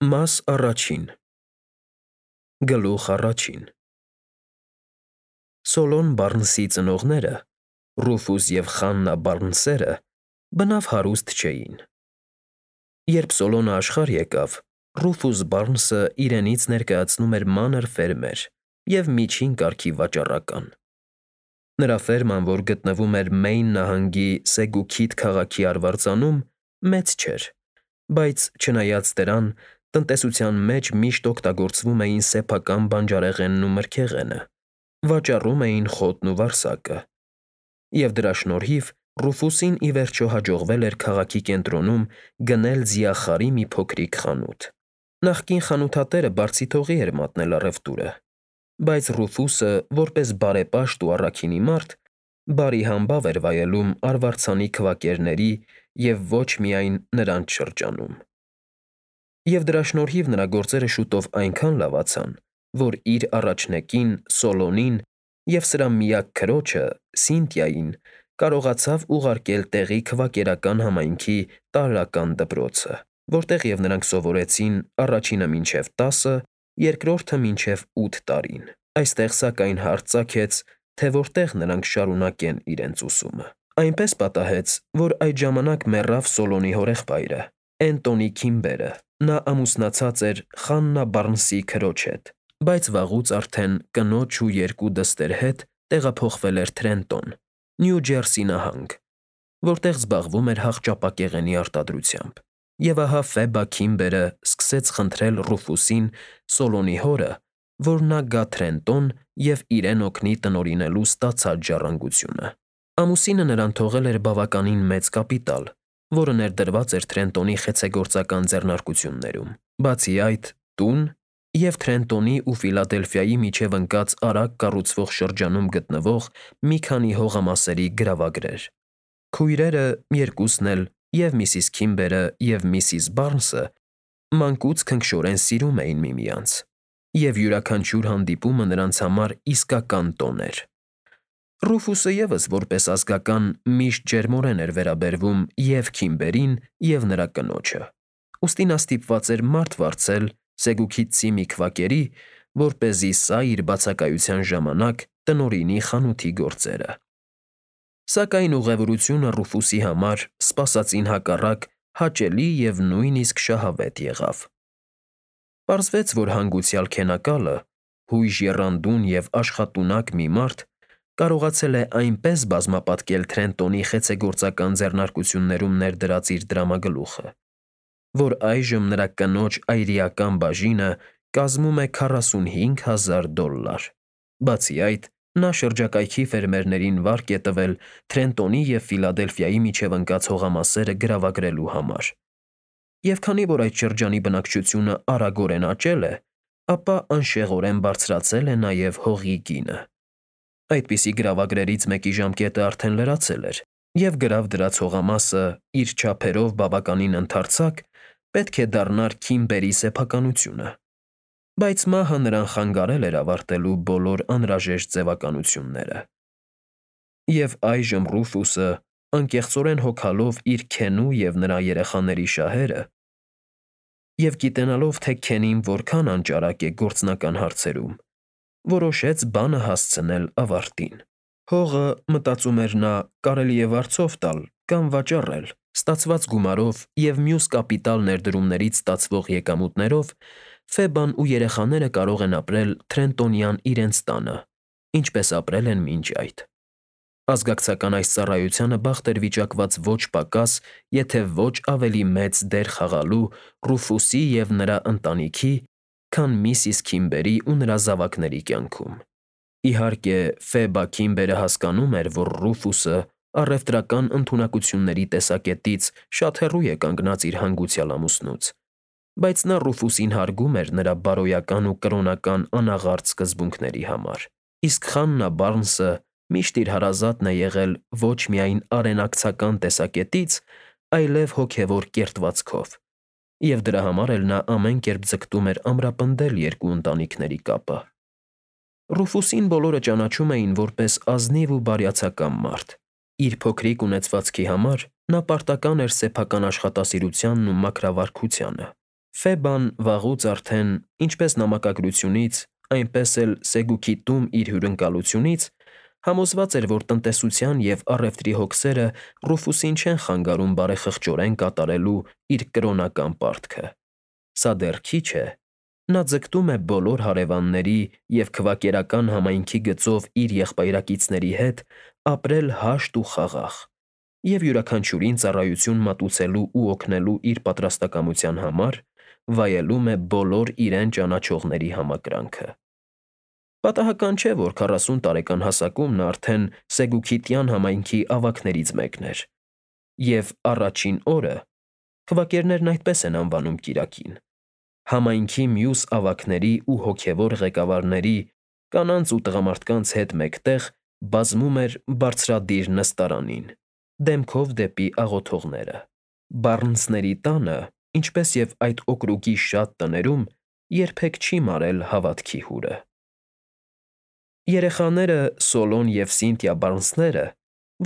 Մաս առաջին Գլուխ առաջին Սոլոն Բարնսի ծնողները, Ռուֆուս և Խաննա Բարնսերը, բնավ հարուստ չէին։ Երբ Սոլոնը աշխարհ եկավ, Ռուֆուս Բարնսը իրենից ներկայացնում էր մանր ֆերմեր և միջին կարգի վաճառական։ Նրա ֆերման, որ գտնվում էր Մեյն նահանգի Սեգուքիթ քաղաքի արվարձանում, մեծ չէր, բայց չնայած դրան, տնտեսության մեջ միշտ օգտագործվում էին սեփական բանջարեղենն ու մրգեղենը, վաճառում էին խոտն ու վարսակը։ Եվ դրա շնորհիվ Ռուֆուսին ի վերջո հաջողվել էր քաղաքի կենտրոնում գնել ձիախարի մի փոքրիկ խանութ։ Նախկին խանութատերը բարձիթողի էր մատնել առևտուրը, բայց Ռուֆուսը, որպես բարեպաշտ ու առաքինի մարդ, բարի համբավ էր վայելում արվարձանի քվակերների և ոչ միայն նրանց շրջանում։ Եվ դրա շնորհիվ նրա գործերը շուտով այնքան լավացան, որ իր առաջնեկին Սոլոնին և սրա միակ քրոջը՝ Սինթիային կարողացավ ուղարկել տեղի քվակերական համայնքի տարրական դպրոցը, որտեղ և նրանք սովորեցին առաջինը մինչև 10, երկրորդը մինչև 8 տարին։ Այստեղ, սակայն, հարց ծագեց, թե որտեղ նրանք շարունակեն իրենց ուսումը։ Այնպես պատահեց, որ այդ ժամանակ մեռավ Սոլոնի հորեղբայրը՝ Էնտոնի Քիմբերը։ Նա ամուսնացած էր Խաննա Բարնսի քրոջ հետ, բայց վաղուց արդեն կնոջ ու երկու դստեր հետ տեղափոխվել էր Թրենտոն, Նյու Ջերսի նահանգ, որտեղ զբաղվում էր հախճապակեղենի արտադրությամբ։ Եվ ահա Ֆեբա Քիմբերը սկսեց խնդրել Ռուֆուսին, Սոլոնի հորը, որ նա գա Թրենտոն և իրեն օգնի տնօրինելու ստացած ժառանգությունը։ Ամուսինը նրան թողել էր բավականին մեծ կապիտալ, որը ներդրված էր Թրենտոնի խեցեգործական ձեռնարկություններում, բացի այդ, տուն և Թրենտոնի ու Ֆիլադելֆիայի միջև ընկած արագ կառուցվող շրջանում գտնվող մի քանի հողամասերի գրավագրեր։ Քույրերը երկուսն էլ, և միսիս Քիմբերը, և միսիս Բարնսը, մանկուց քնքշորեն սիրում էին միմյանց, և յուրաքանչյուր հանդիպումը նրանց համար իսկական տոն էր։ Ռուֆուսը ևս որպես ազգական միշտ ջերմորեն էր վերաբերվում և Քիմբերին, և նրա կնոջը, ուստի նա ստիպված էր մարդ վարձել Սեգուքիթցի մի քվակերի, որպեսզի սա իր բացակայության ժամանակ տնօրինի խանութի գործերը։ Սակայն ուղևորությունը Ռուֆուսի համար, սպասածին հակառակ, հաճելի և նույնիսկ շահավետ եղավ։ Պարզվեց, որ հանգուցյալ քենակալը, հույժ եռանդուն և աշխատունակ մի մարդ, կարողացել է այնպես բազմապատկել Թրենտոնի խեցեգործական ձեռնարկություններում ներդրած իր դրամագլուխը, որ այժմ նրա կնոջ այրիական բաժինը կազմում է $45,000։ Բացի այդ, նա շրջակայքի ֆերմերներին վարկ է տվել Թրենտոնի և Ֆիլադելֆիայի միջև ընկած հողամասերը գրավագրելու համար։ Եվ քանի որ այդ շրջանի բնակչությունը արագորեն աճել է, ապա անշեղորեն բարձրացել է նաև հողի գինը։ Այդպիսի գրավագրերից մեկի ժամկետը արդեն լրացել էր, և գրավ դրած հողամասը, իր չափերով բավականին ընդարձակ, պետք է դառնար Քիմբերի սեփականությունը։ Բայց մահը նրան խանգարել էր ավարտելու բոլոր անհրաժեշտ ձևականությունները։ Եվ այժմ Ռուֆուսը, անկեղծորեն հոգալով իր Քենու և նրա երեխաների շահերը, և գիտենալով, թե Քենին որքան անճարակ է գործնական հարցերում, որոշեց բանը հասցնել ավարտին։ Հողը, մտածում էր նա, կարելի է վարձով տալ կամ վաճառել։ Ստացված գումարով և մյուս կապիտալ ներդրումներից ստացվող եկամուտներով Ֆեբան ու երեխաները կարող են ապրել Թրենտոնյան իրենց տանը, ինչպես ապրել են մինչ այդ։ Ազգակցական այս ծառայությանը բախտ էր վիճակված ոչ պակաս, եթե ոչ ավելի մեծ դեր խաղալու Ռուֆուսի և նրա ընտանիքի, քան միսիս Քիմբերի ու նրա զավակների կյանքում։ Իհարկե, Ֆեբա Քիմբերը հասկանում էր, որ Ռուֆուսը առևտրական ընդունակությունների տեսակետից շատ հեռու է կանգնած իր հանգուցյալ ամուսնուց, բայց նա Ռուֆուսին հարգում էր նրա բարոյական ու կրոնական անաղարտ սկզբունքների համար։ Իսկ Խաննա Բարնսը միշտ իր հարազատն է եղել ոչ միայն արենակցական տեսակետից, այլև հոգևոր կերտվածքով, և դրա համար էլ նա ամեն կերպ ձգտում էր ամրապնդել երկու ընտանիքների կապը։ Ռուֆուսին բոլորը ճանաչում էին որպես ազնիվ ու բարյացակամ մարդ։ Իր փոքրիկ ունեցվածքի համար նա պարտական էր սեփական աշխատասիրությանն ու մաքրավարքությանը։ Ֆեբան վաղուց արդեն, ինչպես նամակագրությունից, այնպես էլ Սեգուքի տում իր հյուրընկալությունից, համոզված էր, որ տնտեսության և առևտրի հոգսերը Ռուֆուսին չեն խանգարում բարեխղճորեն կատարելու իր կրոնական պարտքը։ Սա դեռ քիչ է. նա ձգտում է բոլոր հարևանների և քվակերական համայնքի գծով իր եղբայրակիցների հետ ապրել հաշտ ու խաղաղ, և յուրաքանչյուրին ծառայություն մատուցելու ու օգնելու իր պատրաստակամության համար վայելում է բոլոր իրեն ճանաչողների համակրանքը։ Պատահական չէ, որ 40 տարեկան հասակում նա արդեն Սեգուքիտյան համայնքի ավագներից մեկն էր, և առաջին օրը (քվակերներն այդպես են անվանում կիրակին) համայնքի մյուս ավագների ու հոգևոր ղեկավարների, կանանց ու տղամարդկանց հետ մեկտեղ բազմում էր բարձրադիր նստարանին, դեմքով դեպի աղոթողները։ Բառնսների տանը, ինչպես և այդ օկրուգի շատ տներում, երբեք չի մարել հավատքի հուրը։ Երեխաները Սոլոն և Սինթիա Բառնսները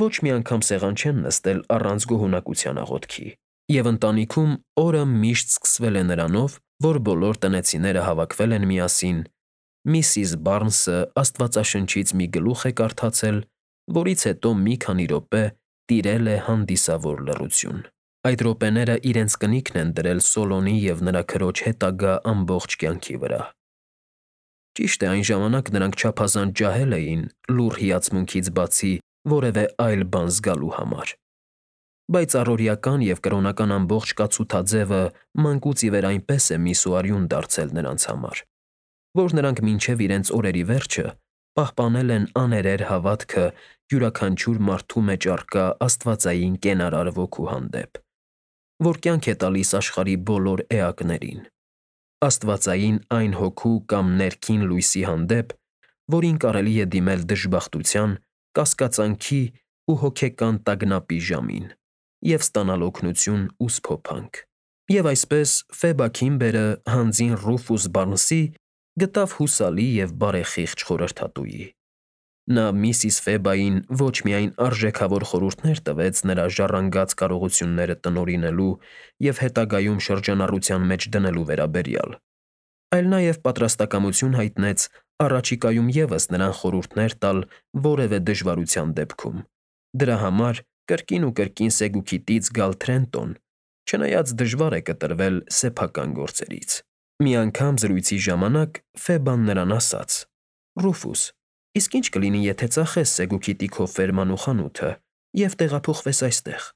ոչ մի անգամ սեղան չեն նստել առանց գոհունակության աղոթքի, և ընտանիքում օրը միշտ սկսվել է նրանով, որ բոլոր տնեցիները հավաքվել են միասին, միսիս Բառնսը Աստվածաշնչից մի գլուխ է կարդացել, որից հետո մի քանի րոպե տիրել է հանդիսավոր լռություն։ Այդ րոպեները իրենց կնիքն են դրել Սոլոնի և նրա քրոջ հետագա ամբողջ կյանքի վրա։ Ճիշտ է, այն ժամանակ նրանք չափազանց ջահել էին լուռ հիացմունքից բացի որևէ այլ բան զգալու համար, բայց առօրեական և կրոնական ամբողջ կացութաձևը մանկուց ի վեր այնպես է միս ու արյուն դարձել նրանց համար, որ նրանք մինչև իրենց օրերի վերջը պահպանել են աներեր հավատքը յուրաքանչյուր մարդու մեջ առկա աստվածային կենարար ոգու հանդեպ, որ կյանք է տալիս աշխարհի բոլոր էակներին, աստվածային այն հոգու կամ ներքին լույսի հանդեպ, որին կարելի է դիմել դժբախտության, կասկածանքի ու հոգեկան տագնապի ժամին և ստանալ օգնություն ու սփոփանք։ Եվ այսպես Ֆեբա Քիմբերը հանձին Ռուֆուս Բառնսի գտավ հուսալի և բարեխիղճ խորհրդատուի։ Նա միսիս Ֆեբային ոչ միայն արժեքավոր խորհուրդներ տվեց նրա ժառանգած կարողությունները տնօրինելու և հետագայում շրջանառության մեջ դնելու վերաբերյալ, այլ նաև պատրաստակամություն հայտնեց առաջիկայում ևս նրան խորհուրդներ տալ որևէ դժվարության դեպքում, դրա համար կրկին ու կրկին Սեգուքիտից գալ Թրենտոն, չնայած դժվար է կտրվել սեփական գործերից։ Մի անգամ զրույցի ժամանակ Ֆեբան նրան ասաց. «Ռուֆուս, իսկ ի՞նչ կլինի, եթե ծախես Սեգուքիտի քո ֆերման ու խանութը և տեղափոխվես այստեղ։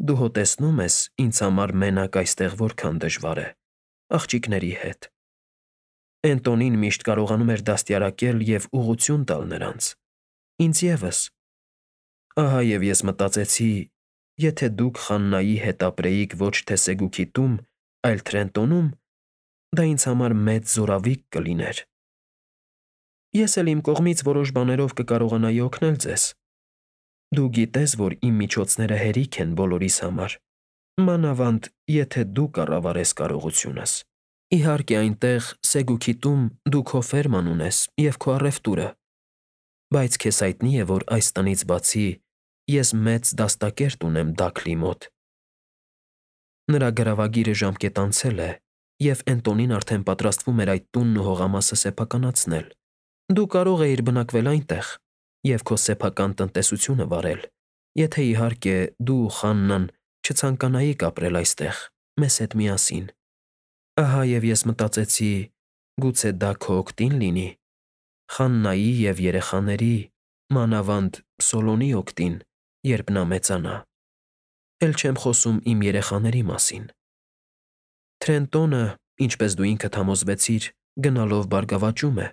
Դու հո տեսնում ես ինձ համար մենակ այստեղ որքան դժվար է, աղջիկների հետ»։ Էնտոնին միշտ կարողանում էր դաստիարակել և ուղղություն տալ նրանց, ինձ ևս։ Ահա և ես մտածեցի, եթե դուք Խաննայի հետ ապրեիք ոչ թե Սեգուքիտում, այլ Թրենտոնում, դա ինձ համար մեծ զորավիգ կլիներ։ Ես էլ իմ կողմից որոշ բաներով կկարողանայի օգնել ձեզ։ Դու գիտես, որ իմ միջոցները հերիք են բոլորիս համար, մանավանդ եթե դու կառավարես կարողությունս։ Իհարկե, այնտեղ Սեգուքիտում դու քո ֆերման ունես և քո առևտուրը, բայց քեզ հայտնի է, որ այս տնից բացի ես մեծ դաստակերտ ունեմ Դաքլի մոտ։ Նրա գրավագիրը ժամկետ անցել է, և Էնտոնին արդեն պատրաստվում էր այդ տունն ու հողամասը սեփականացնել։ Դու կարող էիր բնակվել այնտեղ և քո սեփական տնտեսությունը վարել, եթե, իհարկե, դու ու Խաննան չցանկանայիք ապրել այստեղ մեզ հետ միասին։ Ահա և ես մտածեցի, գուցե դա քո օգտին լինի, Խաննայի և երեխաների, մանավանդ Սոլոնի օգտին, երբ նա մեծանա։ Էլ չեմ խոսում իմ երեխաների մասին։ Թրենտոնը, ինչպես դու ինքդ համոզվեցիր, գնալով բարգավաճում է։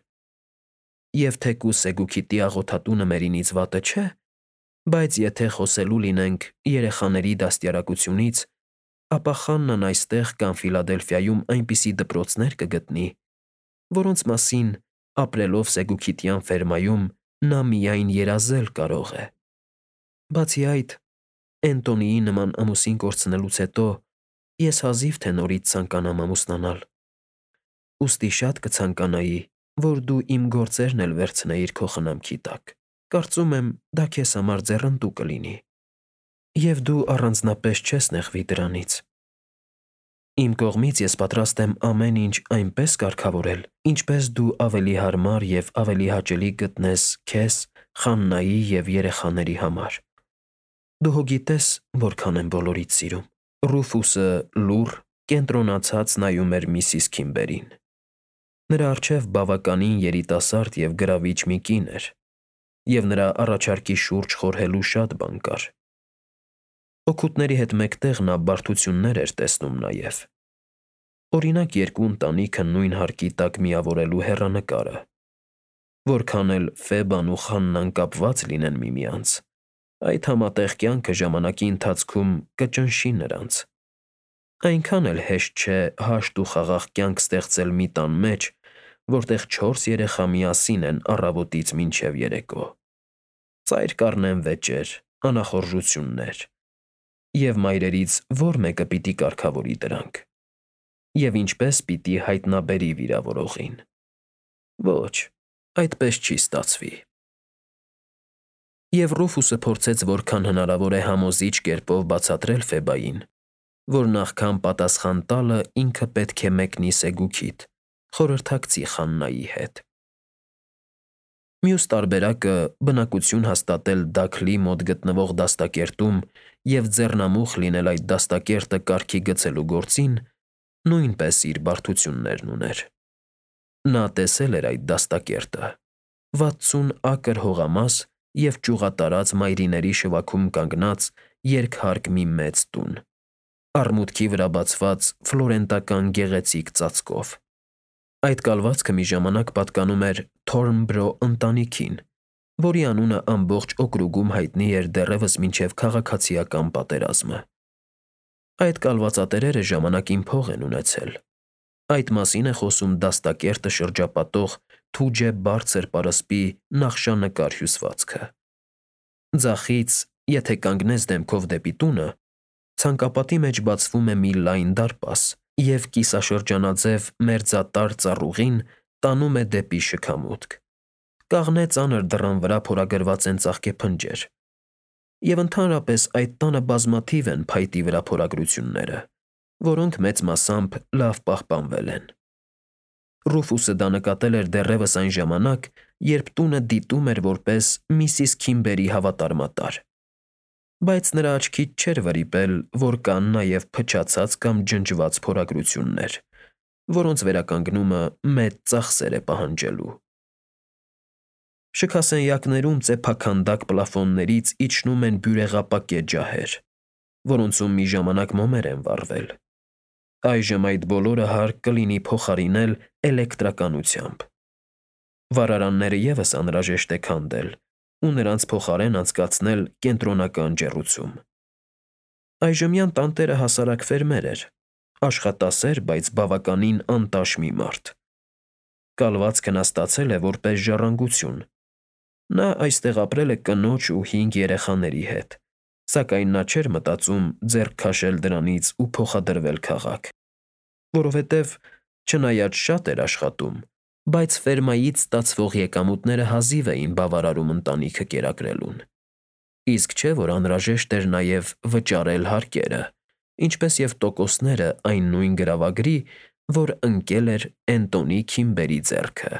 Եվ թեկուզ Սեգուքիտի աղոթատունը մերինից վատը չէ, բայց եթե խոսելու լինենք երեխաների դաստիարակությունից, ապա Խաննան այստեղ կամ Ֆիլադելֆիայում այնպիսի դպրոցներ կգտնի, որոնց մասին, ապրելով Սեգուքիտյան ֆերմայում, նա միայն երազել կարող է։ Բացի այդ, Էնտոնիի նման ամուսին կորցնելուց հետո ես հազիվ թե նորից ցանկանամ ամուսնանալ, ուստի շատ կցանկանայի, որ դու իմ գործերն էլ վերցնեիր քո խնամքի տակ։ Կարծում եմ, դա քեզ համար ձեռնտու կլինի, և դու առանձնապես չես նեղվի դրանից։ Իմ կողմից ես պատրաստ եմ ամեն ինչ այնպես կարգավորել, ինչպես դու ավելի հարմար և ավելի հաճելի գտնես քեզ, Խաննայի և երեխաների համար։ Դու հո գիտես, որքան եմ բոլորիդ սիրում։ Ռուֆուսը լուռ, կենտրոնացած նայում էր միսիս Քիմբերին։ Նրա առջև բավականին երիտասարդ և գրավիչ մի կին էր, և նրա առաջարկի շուրջ խորհելու շատ բան կար։ Օգուտների հետ մեկտեղ նա բարդություններ էր տեսնում նաև։ Օրինակ, երկու ընտանիքը նույն հարկի տակ միավորելու հեռանկարը։ Որքան էլ Ֆեբան ու Խաննան կապված լինեն միմյանց, այդ համատեղ կյանքը ժամանակի ընթացքում կճնշի նրանց։ Այնքան էլ հեշտ չէ հաշտ ու խաղաղ կյանք ստեղծել մի տան մեջ, որտեղ 4 երեխա միասին են առավոտից մինչև երեկո։ Ծայր կառնեն վեճեր, անախորժություններ։ Եվ մայրերից ո՞ր մեկը պիտի կարգավորի դրանք։ Եվ ինչպե՞ս պիտի հայտնաբերի վիրավորողին։ Ոչ, այդպես չի ստացվի։ Եվ Ռուֆուսը փորձեց որքան հնարավոր է համոզիչ կերպով բացատրել Ֆեբային, որ նախքան պատասխան տալը ինքը պետք է մեկնի սեգուքիդ, խորհրդակցի Խաննայի հետ։ Մյուս տարբերակը բնակություն հաստատել Դաքլի մոտ գտնվող դաստակերտում և ձեռնամուխ լինել այդ դաստակերտը կարգի գցելու գործին նույնպես իր բարդություններն ուներ։ Նա տեսել էր այդ դաստակերտը՝ 60 ակր հողամաս և ճյուղատարած մայրիների շվաքում կանգնած երկհարկ մի մեծ տուն, առմուտքի վրա բացված ֆլորենտական գեղեցիկ ծածկով։ Այդ կալվածքը մի ժամանակ պատկանում էր Թորնբրո ընտանիքին, որի անունը ամբողջ օկրուգում հայտնի էր դեռևս մինչև քաղաքացիական պատերազմը։ Այդ կալվածատերերը ժամանակին փող են ունեցել։ Այդ մասին է խոսում դաստակերտը շրջապատող թուջե բարձր պարսպի նախշանկար հյուսվածքը։ Ձախից, եթե կանգնես դեմքով դեպի տունը, ցանկապատի մեջ բացվում է մի լայն դարպաս, և կիսաշրջանաձև մերձատար ծառուղին տանում է դեպի շքամուտք։ Կաղնե ծանր դռան վրա փորագրված են ծաղկեփնջեր։ Եվ ընդհանրապես այդ տանը բազմաթիվ են փայտի վրա փորագրությունները, որոնք մեծ մասամբ լավ պահպանվել են։ Ռուֆուսը դա նկատել էր դեռևս այն ժամանակ, երբ տունը դիտում էր որպես միսիս Քիմբերի հավատարմատար։ Բայց նրա աչքից չէր վրիպել, որ կան նաև փչացած կամ ջնջված փորագրություններ, որոնց վերականգնումը մեծ ծախսեր է պահանջելու։ Շքասենյակներում ծեփաքանդակ պլաֆոններից իջնում են բյուրեղապակե ջահեր, որոնցում մի ժամանակ մոմեր են վառվել։ Այժմ այդ բոլորը հարկ կլինի փոխարինել էլեկտրականությամբ։ Վառարանները ևս անհրաժեշտ է քանդել ու նրանց փոխարեն անցկացնել կենտրոնական ջեռուցում։ Այժմյան տանտերը հասարակ ֆերմեր էր, աշխատասեր, բայց բավականին անտաշ մի մարդ։ Կալվածքը նա ստացել է որպես ժառանգություն։ Նա այստեղ ապրել է կնոջ ու 5 երեխաների հետ, սակայն նա չէր մտածում ձեռք քաշել դրանից ու փոխադրվել քաղաք, որովհետև չնայած շատ էր աշխատում, բայց ֆերմայից ստացվող եկամուտները հազիվ էին բավարարում ընտանիքը կերակրելուն։ Իսկ չէ, որ անհրաժեշտ էր նաև վճարել հարկերը, ինչպես և տոկոսները այն նույն գրավագրի, որ ընկել էր Էնտոնի Քիմբերի ձեռքը։